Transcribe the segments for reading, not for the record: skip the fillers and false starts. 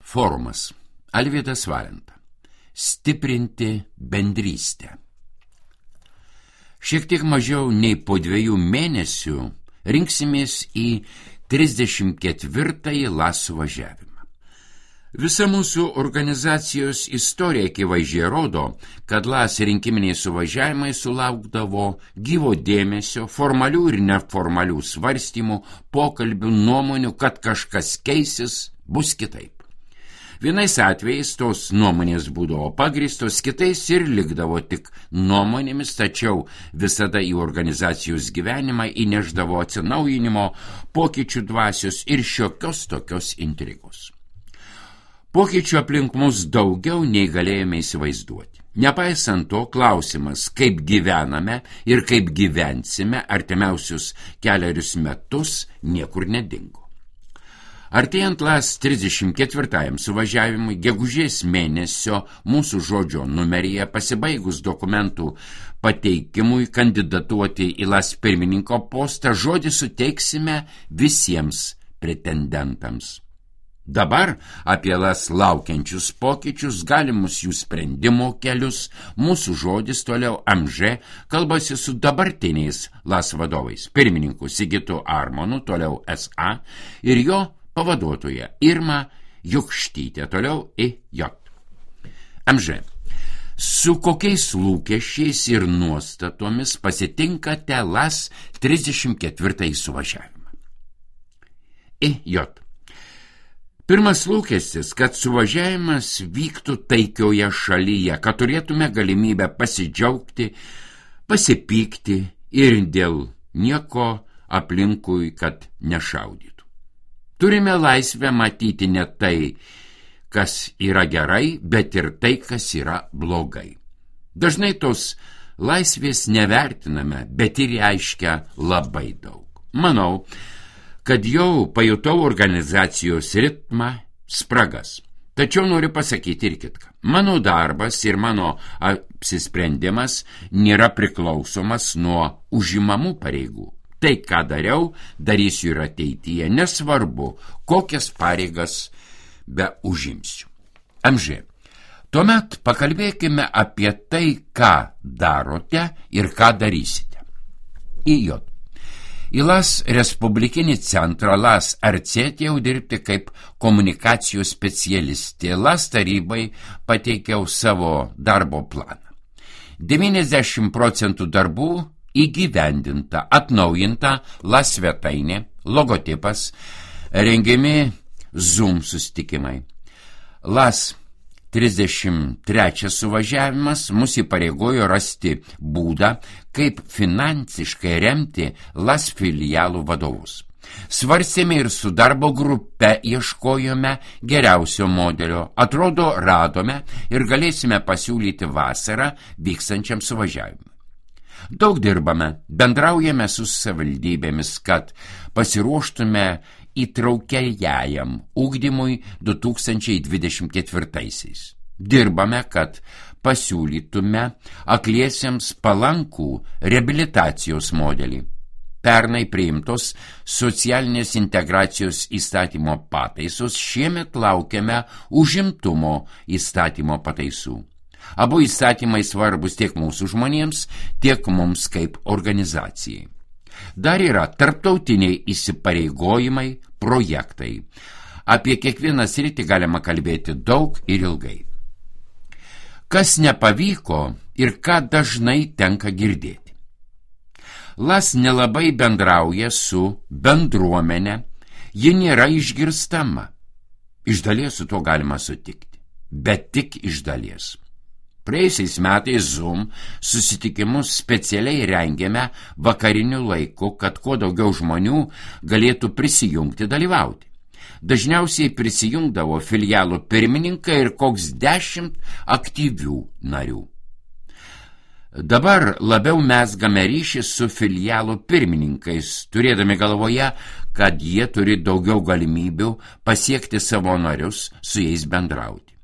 Forumas. Alvydas Valenta. Stiprinti bendrystę. Šiek tiek mažiau nei po 2 mėnesių rinksimės į 34-ąjį LAS suvažiavimą. Visa mūsų organizacijos istorija akivaizdžiai rodo, kad LAS rinkiminiai suvažiavimai sulaukdavo gyvo dėmesio, formalių ir neformalių svarstymų, pokalbių, nuomonių, kad kažkas keisis, bus kitaip. Vienais atvejais tos nuomonės būdavo pagrįstos, kitais ir likdavo tik nuomonėmis, tačiau visada į organizacijos gyvenimą įneždavo atsinaujinimo, pokyčių dvasios ir šiokios tokios intrigos. Pokyčių aplink mus daugiau nei galėjome įsivaizduoti. Nepaisant to, klausimas, kaip gyvename ir kaip gyvensime artimiausius 4 metus, niekur nedingo. Artėjant LAS 34-ajam suvažiavimui, gegužės mėnesio mūsų žodžio numeryje pasibaigus dokumentų pateikimui kandidatuoti į LAS pirmininko postą, žodį suteiksime visiems pretendentams. Dabar apie LAS laukiančius pokyčius, galimus jų sprendimo kelius, mūsų žodis toliau MŽ kalbasi su dabartiniais LAS vadovais, pirmininku Sigitu Armonu, toliau SA, ir jo pavaduotoja Irma Jukštytė, toliau IJ. MŽ. Su kokiais lūkesčiais ir nuostatomis pasitinkate LAS 34-ąjį suvažiavimą? IJ. Pirmas lūkestis, kad suvažiavimas vyktų taikioje šalyje, kad turėtume galimybę pasidžiaugti, pasipykti ir dėl nieko aplinkui, kad nešaudytų. Turime laisvę matyti ne tai, kas yra gerai, bet ir tai, kas yra blogai. Dažnai tos laisvės nevertiname, bet ir reiškia labai daug. Manau, kad jau pajutau organizacijos ritmą, spragas. Tačiau noriu pasakyti ir kitką. Mano darbas ir mano apsisprendimas nėra priklausomas nuo užimamų pareigų. Tai, ką dariau, darysiu ir ateityje, nesvarbu, kokias pareigas be užimsiu. MŽ. Tuomet pakalbėkime apie tai, ką darote ir ką darysite. IJ. Į LAS Respublikinį centrą LAS atėjau dirbti kaip komunikacijos specialistė. LAS tarybai pateikiau savo darbo planą. 90% darbų įgyvendinta, atnaujinta LAS svetainė, logotipas, rengiami Zoom susitikimai. LAS 33 suvažiavimas mus įpareigojo rasti būdą, kaip finansiškai remti LAS filialų vadovus. Svarstėme ir su darbo grupe ieškojome geriausio modelio. Atrodo, radome ir galėsime pasiūlyti vasarą vykstančiam suvažiavimui. Daug dirbame, bendraujame su savivaldybėmis, kad pasiruoštume įtraukiajam ugdymui 2024-aisiais. Dirbame, kad pasiūlytume akliesiems palankų reabilitacijos modelį. Pernai priimtos socialinės integracijos įstatymo pataisos, šiemet laukiame užimtumo įstatymo pataisų. Abu įstatymai svarbus tiek mūsų žmonėms, tiek mums kaip organizacijai. Dar yra tarptautiniai įsipareigojimai, projektai. Apie kiekvieną sritį galima kalbėti daug ir ilgai. Kas nepavyko ir ką dažnai tenka girdėti. LAS nelabai bendrauja su bendruomenė, ji nėra išgirstama. Iš dalies su to galima sutikti, bet tik iš dalies. Praėjusiais metais Zoom susitikimus specialiai rengėme vakariniu laiku, kad kuo daugiau žmonių galėtų prisijungti dalyvauti. Dažniausiai prisijungdavo filialų pirmininkai ir koks 10 aktyvių narių. Dabar labiau mezgame ryšį su filialų pirmininkais, turėdami galvoje, kad jie turi daugiau galimybių pasiekti savo narius, su jais bendrauti.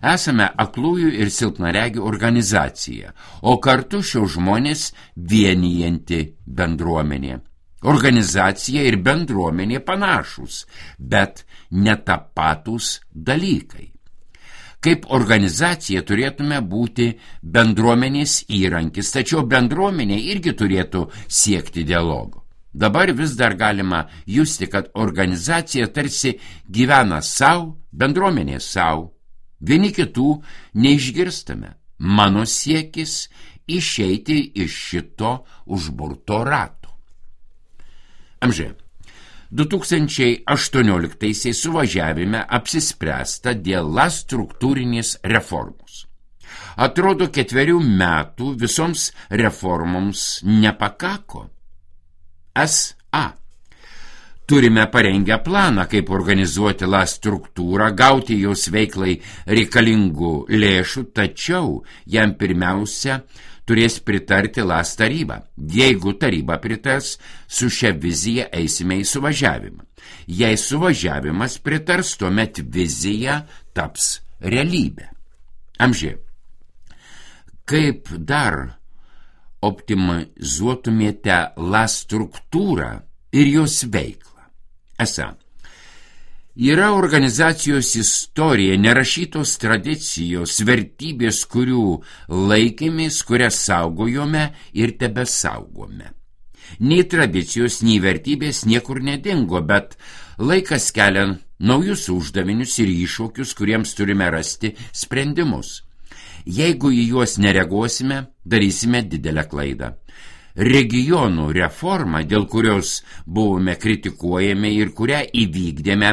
Esame aklųjų ir silpnaregių organizacija, o kartu šios žmonės vienijanti bendruomenė. Organizacija ir bendruomenė panašūs, bet netapatūs dalykai. Kaip organizacija turėtume būti bendruomenės įrankis, tačiau bendruomenė irgi turėtų siekti dialogo. Dabar vis dar galima justi, kad organizacija tarsi gyvena savo, bendruomenė savo. Vieni kitų neišgirstame. Mano siekis išeiti iš šito užburto rato. Amžiai. 2018 suvažiavime apsispręsta dėl LAS struktūrinės reformos. Atrodo, 4 metų visoms reformoms nepakako. SA. Turime parengę planą, kaip organizuoti LAS struktūrą, gauti jos veiklai reikalingų lėšų, tačiau jam pirmiausia turės pritarti LAS taryba. Jeigu taryba pritars, su šia vizija eisime į suvažiavimą. Jei suvažiavimas pritars, tuomet vizija taps realybė. Amžiai. Kaip dar optimizuotumėte LAS struktūrą ir jos veiklą? Esą, yra organizacijos istorija, nerašytos tradicijos, vertybės, kurių laikėmės, kurias saugojome ir tebesaugome. Nei tradicijos, nei vertybės niekur nedingo, bet laikas kelia naujus uždavinius ir iššūkius, kuriems turime rasti sprendimus. Jeigu į juos nereaguosime, darysime didelę klaidą. Regionų reforma, dėl kurios buvome kritikuojami ir kurią įvykdėme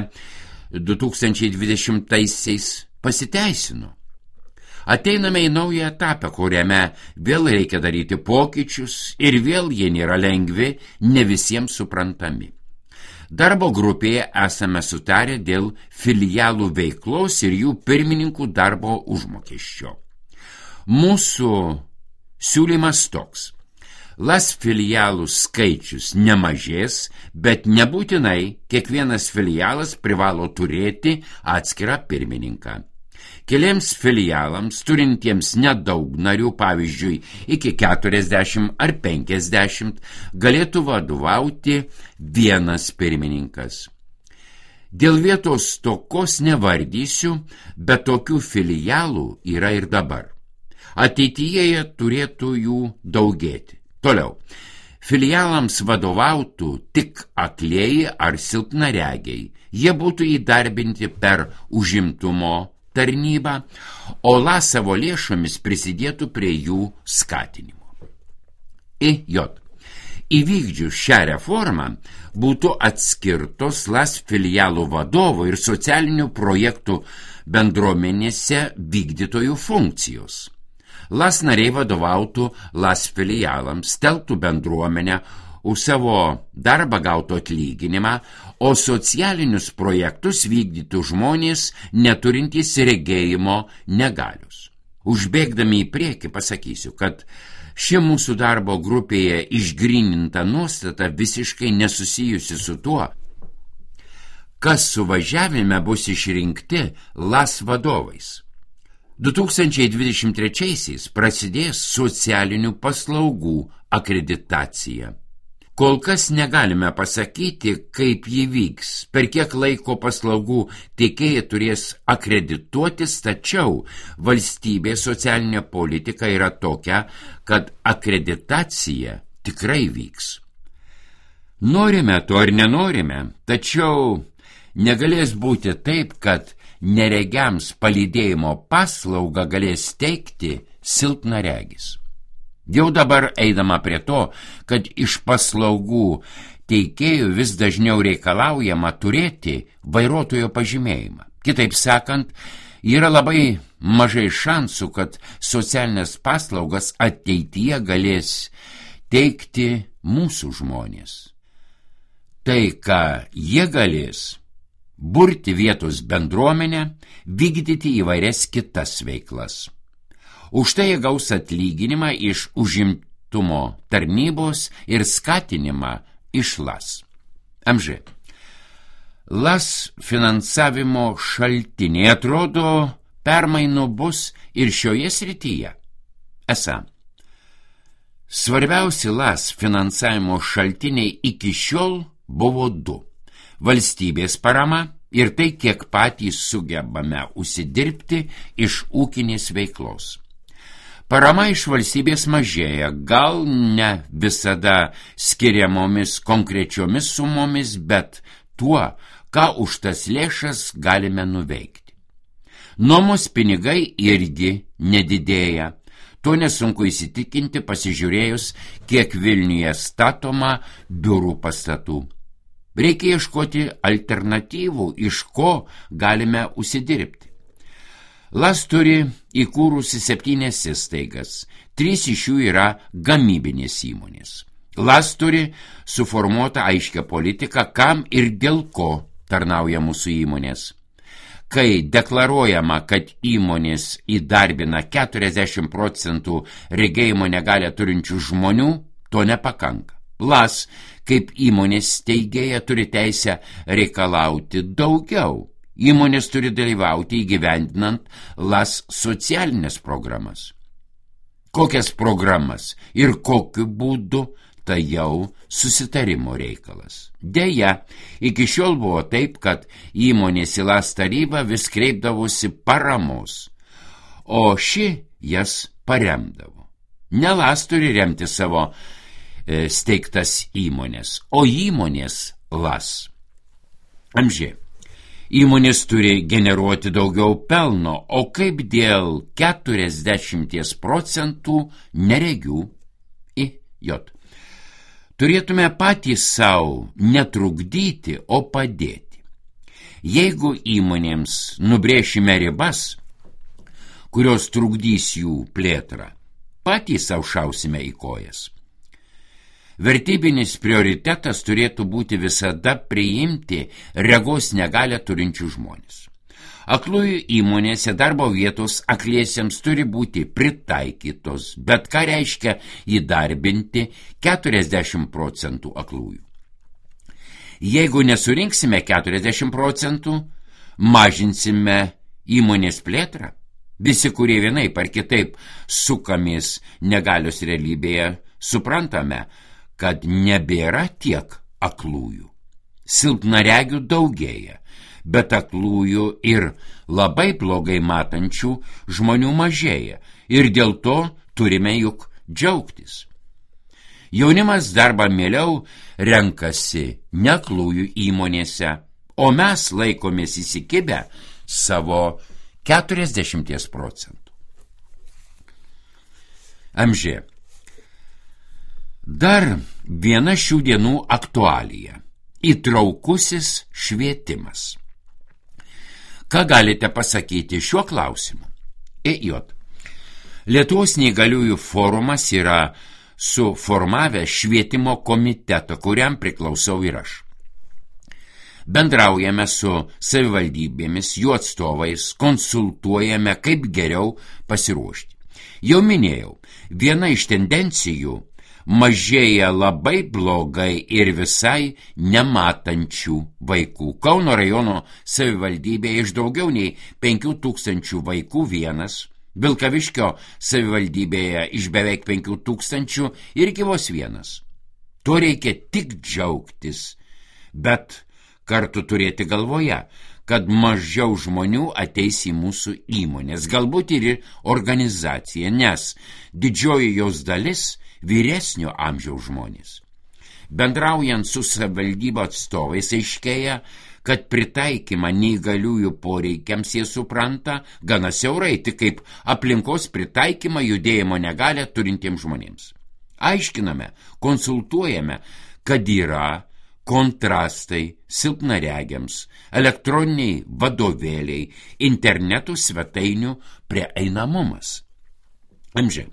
2020-aisiais, pasiteisino. Ateiname į naują etapą, kuriame vėl reikia daryti pokyčius ir vėl jie nėra lengvi, ne visiems suprantami. Darbo grupėje esame sutarę dėl filialų veiklos ir jų pirmininkų darbo užmokesčio. Mūsų siūlymas toks. LAS filialų skaičius nemažės, bet nebūtinai kiekvienas filialas privalo turėti atskirą pirmininką. Keliems filialams, turintiems nedaug narių, pavyzdžiui, iki 40 ar 50, galėtų vadovauti vienas pirmininkas. Dėl vietos stokos nevardysiu, bet tokių filialų yra ir dabar. Ateityje turėtų jų daugėti. Toliau, filialams vadovautų tik aklieji ar silpnaregiai. Jie būtų įdarbinti per užimtumo tarnybą, o LAS savo lėšomis prisidėtų prie jų skatinimo. Įvykdžius šią reformą būtų atskirtos LAS filialų vadovo ir socialinių projektų bendruomenėse vykdytojų funkcijos. LAS nariai vadovautų LAS filialams, telktų bendruomenę, už savo darbą gautų atlyginimą, o socialinius projektus vykdytų žmonės neturintys regėjimo negalios. Užbėgdami į priekį pasakysiu, kad ši mūsų darbo grupėje išgryninta nuostata visiškai nesusijusi su tuo, kas suvažiavime bus išrinkti LAS vadovais. 2023 prasidės socialinių paslaugų akreditacija. Kol kas negalime pasakyti, kaip ji vyks, per kiek laiko paslaugų teikėjai turės akredituotis, tačiau valstybės socialinė politika yra tokia, kad akreditacija tikrai vyks. Norime to ar nenorime, tačiau negalės būti taip, kad neregiams palydėjimo paslaugą galės teikti silpnaregis. Jau dabar eidama prie to, kad iš paslaugų teikėjų vis dažniau reikalaujama turėti vairuotojo pažymėjimą. Kitaip sakant, yra labai mažai šansų, kad socialinės paslaugas ateityje galės teikti mūsų žmonės. Tai, ką jie galės, burti vietos bendruomenę, vykdyti įvairias kitas veiklas. Už tai jie gaus atlyginimą iš užimtumo tarnybos ir skatinimą iš LAS. MŽ. LAS finansavimo šaltiniai, atrodo, permainų bus ir šioje srityje. Esą, Svarbiausi LAS finansavimo šaltiniai iki šiol buvo du – valstybės parama ir tai, kiek patys sugebame užsidirbti iš ūkinės veiklos. Parama iš valstybės mažėja, gal ne visada skiriamomis konkrečiomis sumomis, bet tuo, ką už tas lėšas galime nuveikti. Nuomos pinigai irgi nedidėja. To nesunku įsitikinti pasižiūrėjus, kiek Vilniuje statoma biurų pastatų. Reikia ieškoti alternatyvų, iš ko galime užsidirbti. LAS turi įkūrusi 7 įstaigas, 3 iš jų yra gamybinės įmonės. LAS turi suformuotą aiškią politiką, kam ir dėl ko tarnauja mūsų įmonės. Kai deklaruojama, kad įmonės įdarbina 40% regėjimo negalią turinčių žmonių, to nepakanka. LAS, kaip įmonės steigėja, turi teisę reikalauti daugiau. Įmonės turi dalyvauti įgyvendinant LAS socialinės programas. Kokias programas ir kokiu būdu, tai jau susitarimo reikalas. Deja, iki šiol buvo taip, kad įmonės į LAS tarybą vis kreipdavosi paramos, o ši jas paremdavo. Ne LAS turi remti savo steigtas įmonės, o įmonės LAS. Amžiai. Įmonės turi generuoti daugiau pelno, o kaip dėl 40% neregių IJ. Turėtume patys savo netrukdyti, o padėti. Jeigu įmonėms nubrėšime ribas, kurios trukdys jų plėtrą, patys savo šausime į kojas. Vertybinis prioritetas turėtų būti visada priimti regos negalią turinčių žmonės. Aklųjų įmonėse darbo vietos akliesiems turi būti pritaikytos, bet ką reiškia įdarbinti 40% aklųjų. Jeigu nesurinksime 40%, mažinsime įmonės plėtrą. Visi, kurie vienaip ar kitaip sukamės negalios realybėje, suprantame, kad nebėra tiek aklųjų. Silpnaregių daugėja, bet aklųjų ir labai blogai matančių žmonių mažėja ir dėl to turime juk džiaugtis. Jaunimas darbą mieliau renkasi neaklųjų įmonėse, o mes laikomės įsikibę savo 40%. Amžiai. Dar viena šių dienų aktualija – įtraukusis švietimas. Ką galite pasakyti šiuo klausimu? IJ. Lietuvos neįgaliųjų forumas yra suformavęs švietimo komitetą, kuriam priklausau ir aš. Bendraujame su savivaldybėmis, jų atstovais, konsultuojame, kaip geriau pasiruošti. Jau minėjau, viena iš tendencijų – mažėja labai blogai ir visai nematančių vaikų. Kauno rajono savivaldybėje iš daugiau nei 5000 vaikų vienas, Vilkaviškio savivaldybėje iš beveik 5000 irgi vos vienas. To reikia tik džiaugtis, bet kartu turėti galvoje, kad mažiau žmonių ateis į mūsų įmonės, galbūt ir į organizaciją, nes didžioji jos dalis vyresnio amžiaus žmonės. Bendraujant su savivaldybių atstovais aiškėja, kad pritaikymą neįgaliųjų poreikiams jie supranta gana siaurai, tik kaip aplinkos pritaikymą judėjimo negalią turintiems žmonėms. Aiškiname, konsultuojame, kad yra kontrastai silpnaregiams, elektroniniai vadovėliai, internetų svetainių prieinamumas. Amžiai.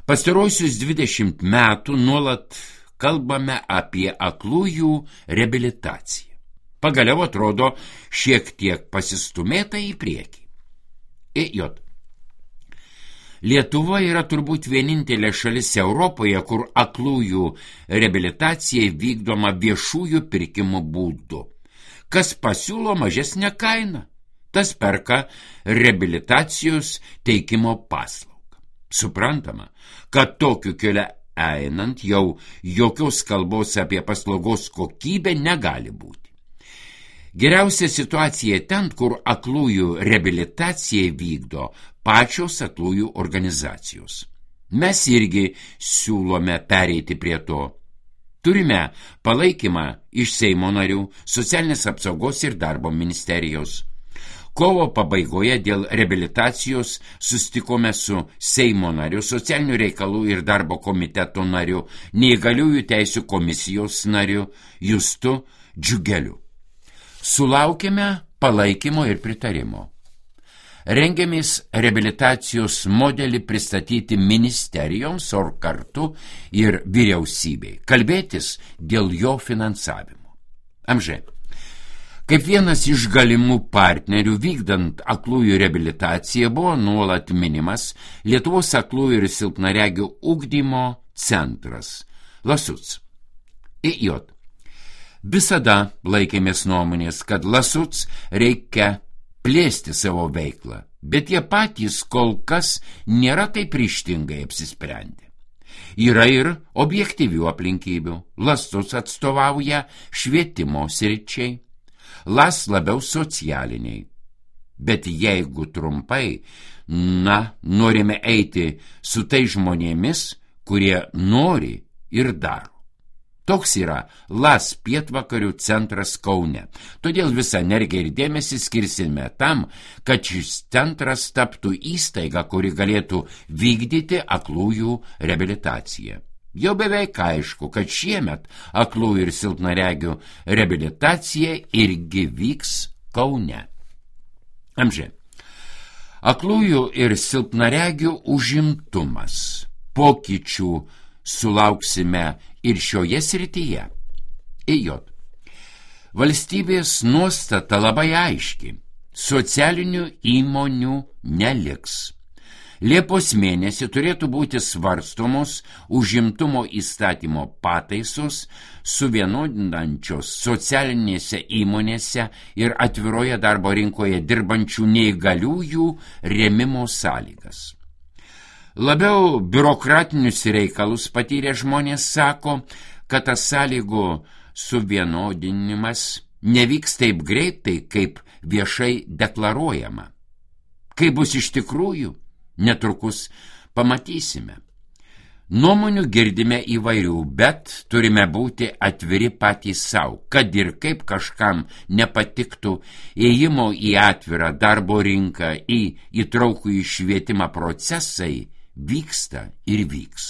Pastaruosius 20 metų nuolat kalbame apie aklųjų reabilitaciją. Pagaliau atrodo šiek tiek pasistumėta į priekį. IJ. Lietuva yra turbūt vienintelė šalis Europoje, kur aklųjų reabilitacija vykdoma viešųjų pirkimų būdu. Kas pasiūlo mažesnę kainą, tas perka reabilitacijos teikimo paslaugą. Suprantama, kad tokiu keliu einant jau jokios kalbos apie paslaugos kokybę negali būti. Geriausia situacija ten, kur aklųjų reabilitaciją vykdo pačios aklųjų organizacijos. Mes irgi siūlome pereiti prie to. Turime palaikymą iš Seimo narių, socialinės apsaugos ir darbo ministerijos. Kovo pabaigoje dėl reabilitacijos susitikome su Seimo nariu, socialinių reikalų ir darbo komiteto nariu, neįgaliųjų teisių komisijos nariu Justu Džiugeliu. Sulaukėme palaikymo ir pritarimo. Rengiamės reabilitacijos modelį pristatyti ministerijoms, o kartu ir vyriausybei, kalbėtis dėl jo finansavimo. Amžė. Kaip vienas iš galimų partnerių vykdant aklųjų reabilitaciją buvo nuolat minimas Lietuvos aklųjų ir silpnaregių ugdymo centras LASUC. IJ. Visada laikėmės nuomonės, kad LASUC reikia plėsti savo veiklą, bet jie patys kol kas nėra taip ryžtingai apsisprendę. Yra ir objektyvių aplinkybių. LASUC atstovauja švietimo sričiai, LAS labiau socialiniai. Bet jeigu trumpai, norime eiti su tai žmonėmis, kurie nori ir daro. Toks yra LAS pietvakarių centras Kaune. Todėl visą energiją ir dėmesį skirsime tam, kad šis centras taptų įstaiga, kuri galėtų vykdyti aklųjų reabilitaciją. Jau beveik aišku, kad šiemet aklųjų ir silpnaregių reabilitacija irgi vyks Kaune. Amžė. Aklųjų ir silpnaregių užimtumas. Pokyčių sulauksime ir šioje srityje. IJ. Valstybės nuostata labai aiški. Socialinių įmonių neliks. Liepos mėnesį turėtų būti svarstomos užimtumo įstatymo pataisos suvienodinančios socialinėse įmonėse ir atviroje darbo rinkoje dirbančių neįgaliųjų rėmimo sąlygas. Labiau biurokratinius reikalus patyrę žmonės sako, kad tas sąlygų suvienodinimas nevyks taip greitai, kaip viešai deklaruojama. Kai bus iš tikrųjų, netrukus pamatysime. Nuomonių girdime įvairių, bet turime būti atviri patys savo, kad ir kaip kažkam nepatiktų ėjimo į atvirą darbo rinką, į įtraukų švietimą procesai, vyksta ir vyks.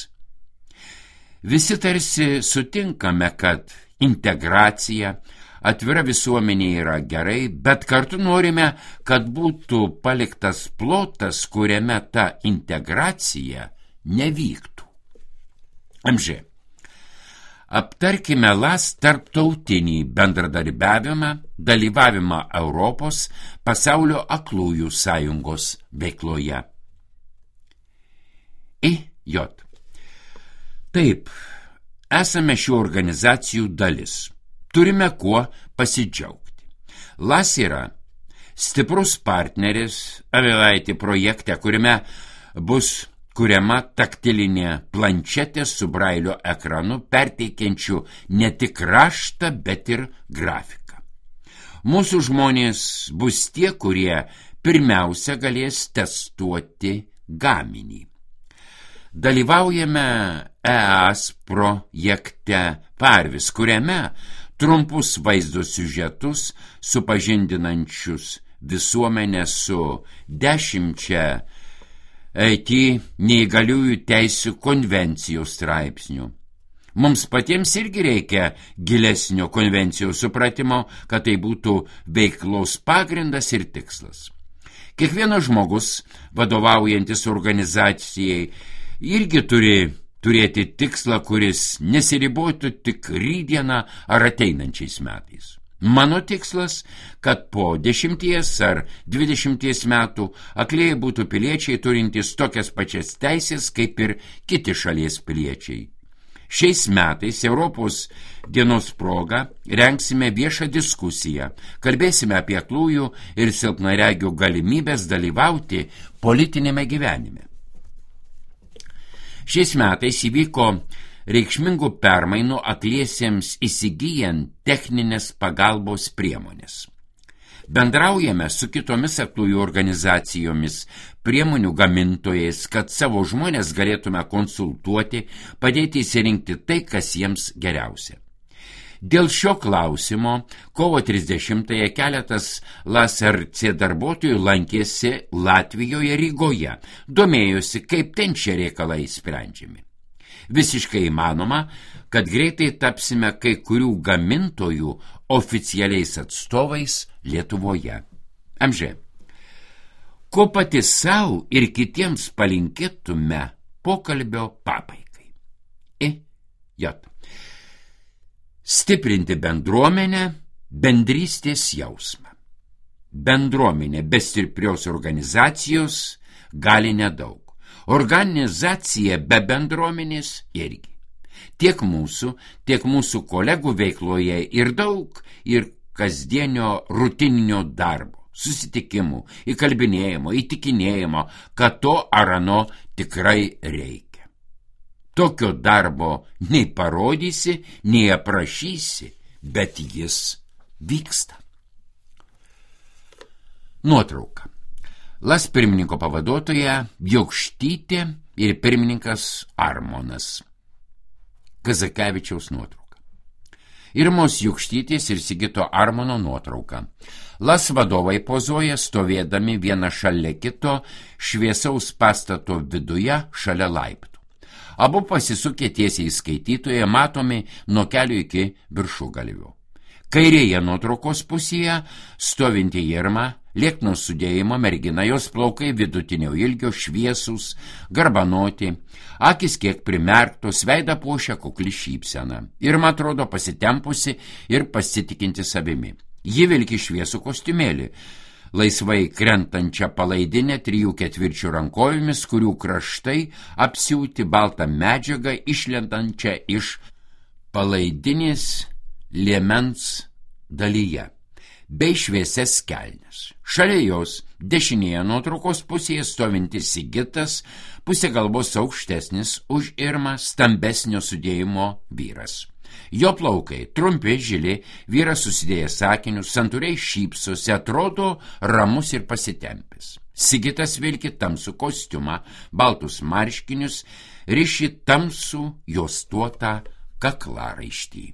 Visi tarsi sutinkame, kad integracija, atvira visuomenė yra gerai, bet kartu norime, kad būtų paliktas plotas, kuriame ta integracija nevyktų. Amžė. Aptarkime LAS tarptautinį bendradarbiavimą, dalyvavimą Europos pasaulio aklųjų sąjungos veikloje. IJ. Taip, esame šių organizacijų dalis. Turime kuo pasidžiaugti. LAS yra stiprus partneris Avelaitė projekte, kuriame bus kuriama taktilinė planšetė su brailio ekranu, perteikiančiu ne tik raštą, bet ir grafiką. Mūsų žmonės bus tie, kurie pirmiausia galės testuoti gaminį. Dalyvaujame EAS projekte Parvis, kuriame trumpus vaizdo siužetus supažindinančius visuomenę su 10 IT neįgaliųjų teisių konvencijos straipsnių. Mums patiems irgi reikia gilesnio konvencijos supratimo, kad tai būtų veiklos pagrindas ir tikslas. Kiekvienas žmogus, vadovaujantis organizacijai, irgi turi turėti tikslą, kuris nesiribotų tik rytdieną ar ateinančiais metais. Mano tikslas, kad po 10 ar 20 metų aklieji būtų piliečiai turintys tokias pačias teisės kaip ir kiti šalies piliečiai. Šiais metais Europos dienos proga rengsime viešą diskusiją, kalbėsime apie aklųjų ir silpnaregių galimybės dalyvauti politinėme gyvenime. Šiais metais įvyko reikšmingų permainų akliesiems įsigyjant techninės pagalbos priemonės. Bendraujame su kitomis aklųjų organizacijomis, priemonių gamintojais, kad savo žmonės galėtume konsultuoti, padėti įsirinkti tai, kas jiems geriausia. Dėl šio klausimo kovo 30-ąją keletas LASRC darbuotojų lankėsi Latvijoje Rygoje, domėjosi, kaip ten šie reikalai sprendžiami. Visiškai įmanoma, kad greitai tapsime kai kurių gamintojų oficialiais atstovais Lietuvoje. Amžė, ko pati savo ir kitiems palinkėtume pokalbio pabaigai? J. Stiprinti bendruomenę, bendrystės jausmą. Bendruomenė be stiprios organizacijos gali nedaug. Organizacija be bendruomenės irgi. Tiek mūsų kolegų veikloje ir daug ir kasdienio rutininio darbo, susitikimų, įkalbinėjimo, įtikinėjimo, kad to ar ano tikrai reikia. Tokio darbo nei parodysi, nei aprašysi, bet jis vyksta. Nuotrauka. LAS pirmininko pavaduotoja Jokštytė ir pirmininkas Armonas. Kazakevičiaus nuotrauka. Irmos Jokštytės ir Sigito Armono nuotrauka. LAS vadovai pozuoja stovėdami vieną šalia kito šviesaus pastato viduje šalia laiptų. Abu pasisukę tiesiai į skaitytoją, matomi nuo kelio iki viršugalvio. Kairėje nuotraukos pusėje stovinti Irma, liekno sudėjimo mergina, jos plaukai vidutinio ilgio, šviesūs, garbanoti, akis kiek primerktos, veidą puošia kukli šypsena. Irma atrodo pasitempusi ir pasitikinti savimi. Ji vilki šviesų kostiumėlį, laisvai krentančią palaidinę 3/4 rankovėmis, kurių kraštai apsiūti baltą medžiagą išlendančią iš palaidinės liemens dalyje, bei šviesias kelnes. Šalia jos dešinėje nuotraukos pusėje stovintis Sigitas, pusė galvos aukštesnis už Irmą, stambesnio sudėjimo vyras. Jo plaukai trumpi, žili, vyras susidėjęs sakinius, santūriai šypsosi, atrodo ramus ir pasitempęs. Sigitas vilki tamsų kostiumą, baltus marškinius, riši tamsų juostuotą kaklaraištį.